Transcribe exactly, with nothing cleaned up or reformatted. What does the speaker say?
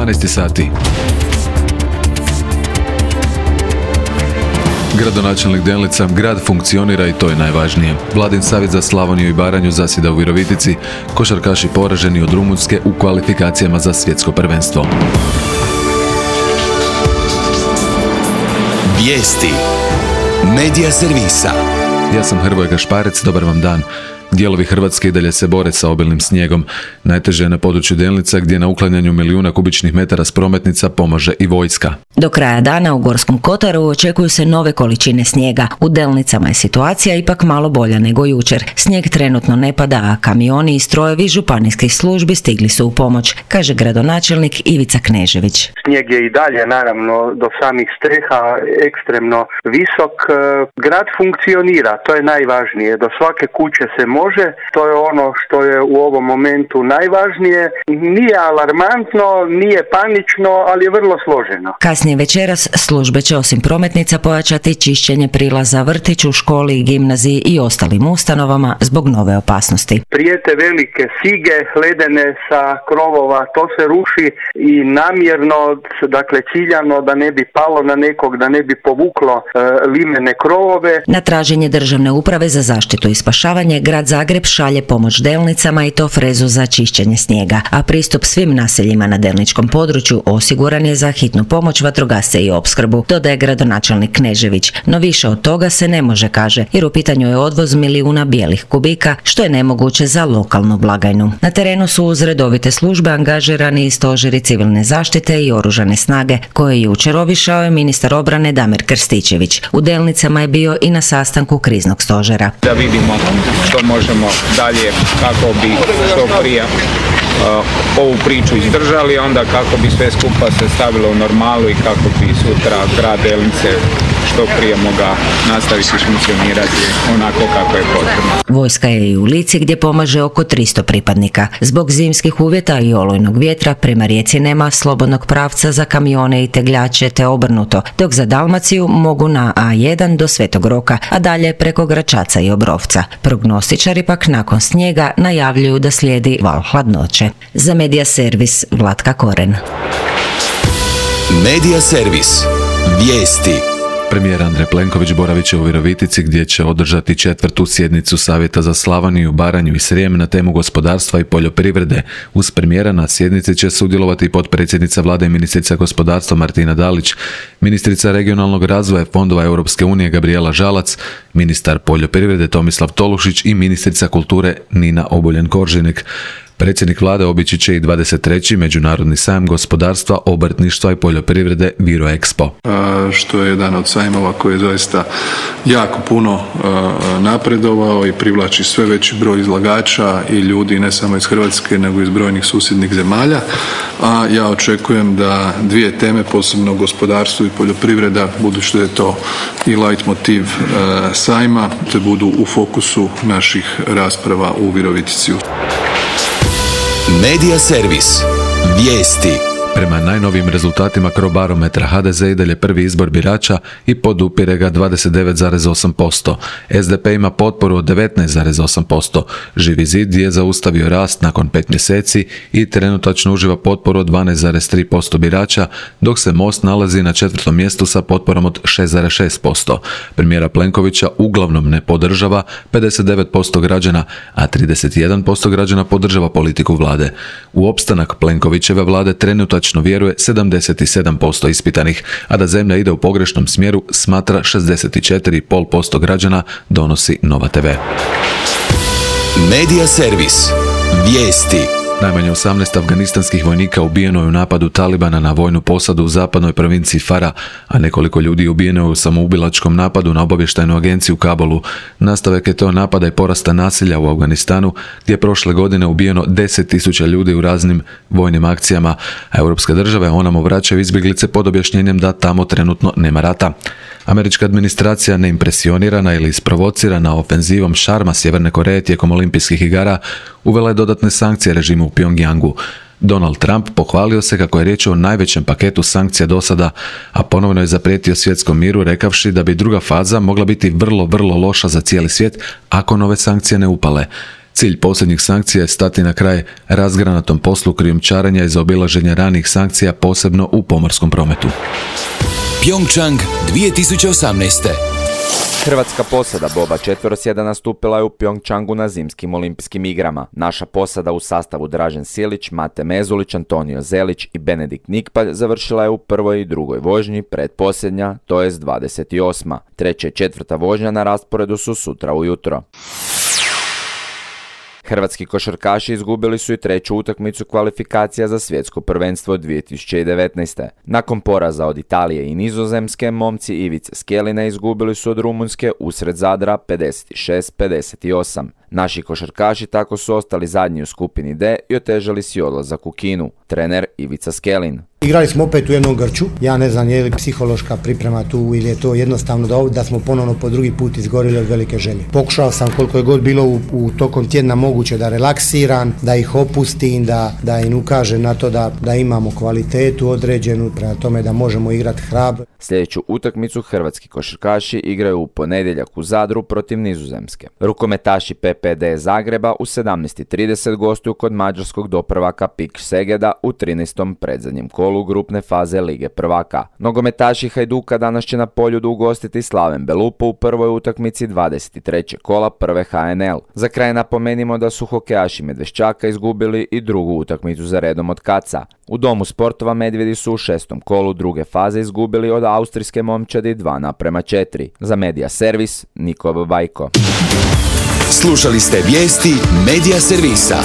dvanaest sati. Gradonačelnik Delnica, grad funkcionira i to je najvažnije. Vladin savjet za Slavoniju i Baranju zasjeda u Virovitici, košarkaši poraženi od Rumunjske u kvalifikacijama za svjetsko prvenstvo. Vijesti Medija servisa. Ja sam Hrvoje Gašparec, dobar vam dan. Dijelovi Hrvatske i dalje se bore sa obilnim snijegom. Najteže je na području Delnica gdje na uklanjanju milijuna kubičnih metara s prometnica pomaže i vojska. Do kraja dana u Gorskom Kotaru očekuju se nove količine snijega. U Delnicama je situacija ipak malo bolja nego jučer. Snijeg trenutno ne pada, a kamioni i strojevi županijskih službi stigli su u pomoć, kaže gradonačelnik Ivica Knežević. Snijeg je i dalje naravno do samih streha ekstremno visok. Grad funkcionira, to je najvažnije. Do svake kuće se može Može, to je ono što je u ovom momentu najvažnije. Nije alarmantno, nije panično, ali je vrlo složeno. Kasnije večeras službe će osim prometnica pojačati čišćenje prilaza vrtiću, školi i gimnaziji i ostalim ustanovama zbog nove opasnosti. Prijete velike sige, ledene sa krovova, to se ruši i namjerno, dakle ciljano da ne bi palo na nekog, da ne bi povuklo e, limene krovove. Na traženje Državne uprave za zaštitu i spašavanje grad Zagreb šalje pomoć Delnicama i to frezu za čišćenje snijega, a pristup svim naseljima na delničkom području osiguran je za hitnu pomoć, vatrogasce i opskrbu, dodaje gradonačelnik Knežević. No više od toga se ne može, kaže, jer u pitanju je odvoz milijuna bijelih kubika, što je nemoguće za lokalnu blagajnu. Na terenu su uz redovite službe angažirani i stožeri civilne zaštite i oružane snage, koje je jučer obišao je ministar obrane Damir Krstičević. U Delnicama je bio i na sastanku kriznog stožera. Da vidimo što možemo dalje, kako bi što prije uh, ovu priču izdržali, onda kako bi sve skupa se stavilo u normalu i kako bi sutra grad Delnice što prije moga nastaviti funkcionirati onako kako je potrebno. Vojska je i u Lici gdje pomaže oko tristo pripadnika. Zbog zimskih uvjeta i olujnog vjetra prema rijeci nema slobodnog pravca za kamione i tegljače te obrnuto, dok za Dalmaciju mogu na A jedan do Svetog Roka, a dalje preko Gračaca i Obrovca. Prognostičari pak nakon snijega najavljuju da slijedi val hladnoće. Za Medija servis Vlatka Koren. Medija servis. Vijesti. Premijer Andrej Plenković boravit će u Virovitici gdje će održati četvrtu sjednicu Savjeta za Slavoniju, Baranju i Srijem na temu gospodarstva i poljoprivrede. Uz premijera na sjednici će sudjelovati i potpredsjednica vlade i ministrica gospodarstva Martina Dalić, ministrica regionalnog razvoja fondova Europske unije Gabrijela Žalac, ministar poljoprivrede Tomislav Tolušić i ministrica kulture Nina Obuljen-Koržinek. Predsjednik vlade obići će i dvadeset treći Međunarodni sajam gospodarstva, obrtništva i poljoprivrede Viro Expo. Što je jedan od sajmova koji je zaista jako puno napredovao i privlači sve veći broj izlagača i ljudi ne samo iz Hrvatske nego i iz brojnih susjednih zemalja. A ja očekujem da dvije teme, posebno gospodarstvo i poljoprivreda, budući da je to i leitmotiv sajma, te budu u fokusu naših rasprava u Virovitici. Medija servis. Vijesti. Prema najnovijim rezultatima Crobarometra ha de ze i dalje prvi izbor birača i podupire ga dvadeset devet zarez osam posto. es de pe ima potporu od devetnaest zarez osam posto. Živi zid je zaustavio rast nakon pet mjeseci i trenutačno uživa potporu od dvanaest zarez tri posto birača, dok se Most nalazi na četvrtom mjestu sa potporom od šest zarez šest posto. Premijera Plenkovića uglavnom ne podržava pedeset devet posto građana, a trideset jedan posto građana podržava politiku vlade. U opstanak Plenkovićeve vlade trenutačno vjeruje sedamdeset sedam posto ispitanih, a da zemlja ide u pogrešnom smjeru smatra šezdeset četiri zarez pet posto građana, donosi Nova te ve. Medija servis. Vijesti. Najmanje osamnaest afganistanskih vojnika ubijeno je u napadu Talibana na vojnu posadu u zapadnoj provinciji Fara, a nekoliko ljudi ubijeno je u samoubilačkom napadu na obavještajnu agenciju u Kabulu. Nastavak je to napada i porasta nasilja u Afganistanu, gdje je prošle godine ubijeno deset tisuća ljudi u raznim vojnim akcijama, a europske države onamo vraćaju izbjeglice pod objašnjenjem da tamo trenutno nema rata. Američka administracija, neimpresionirana ili isprovocirana ofenzivom šarma Sjeverne Koreje tijekom olimpijskih igara, uvela je dodatne sankcije režimu u Pjongjangu. Donald Trump pohvalio se kako je riječ o najvećem paketu sankcija do sada, a ponovno je zaprijetio svjetskom miru rekavši da bi druga faza mogla biti vrlo, vrlo loša za cijeli svijet ako nove sankcije ne upale. Cilj posljednjih sankcija je stati na kraj razgranatom poslu krijumčarenja i zaobilaženja ranih sankcija, posebno u pomorskom prometu. Pyeongchang dvije tisuće osamnaeste. Hrvatska posada Boba četverosjeda nastupila je u Pyeongchangu na zimskim olimpijskim igrama. Naša posada u sastavu Dražen Silić, Mate Mezulić, Antonio Zelić i Benedikt Nikpalj završila je u prvoj i drugoj vožnji, pretposljednja, to jest dvadeset osma. Treća i četvrta vožnja na rasporedu su sutra ujutro. Hrvatski košarkaši izgubili su i treću utakmicu kvalifikacija za svjetsko prvenstvo dvije tisuće devetnaeste. Nakon poraza od Italije i Nizozemske, momci Ivice Skelina izgubili su od Rumunjske usred Zadra pedeset šest pedeset osam. Naši košarkaši tako su ostali zadnji u skupini D i otežali si odlazak u Kinu. Trener Ivica Skelin. Igrali smo opet u jednom grču, ja ne znam je li psihološka priprema tu ili je to jednostavno da, da smo ponovno po drugi put izgorili od velike želje. Pokušao sam koliko je god bilo u, u tokom tjedna moguće da relaksiram, da ih opustim, da, da im ukažem na to da, da imamo kvalitetu određenu, prema tome da možemo igrati hrabro. Sljedeću utakmicu hrvatski košarkaši igraju u ponedjeljak u Zadru protiv Nizozemske. Rukometaši P P D Zagreba u sedamnaest i trideset gostuju kod mađarskog doprvaka Pik Segeda u trinaestom predzadnjem kolu grupne faze Lige prvaka. Nogometaši Hajduka danas će na Poljudu ugostiti Slaven Belupo u prvoj utakmici dvadeset trećeg kola prve H N L. Za kraj napomenimo da su hokejaši Medveščaka izgubili i drugu utakmicu za redom od Kaca. U Domu sportova Medvjedi su u šestom kolu druge faze izgubili od austrijske momčadi dva naprema četiri. Za Medija Servis, Niko Babajko. Slušali ste vijesti Medija Servisa.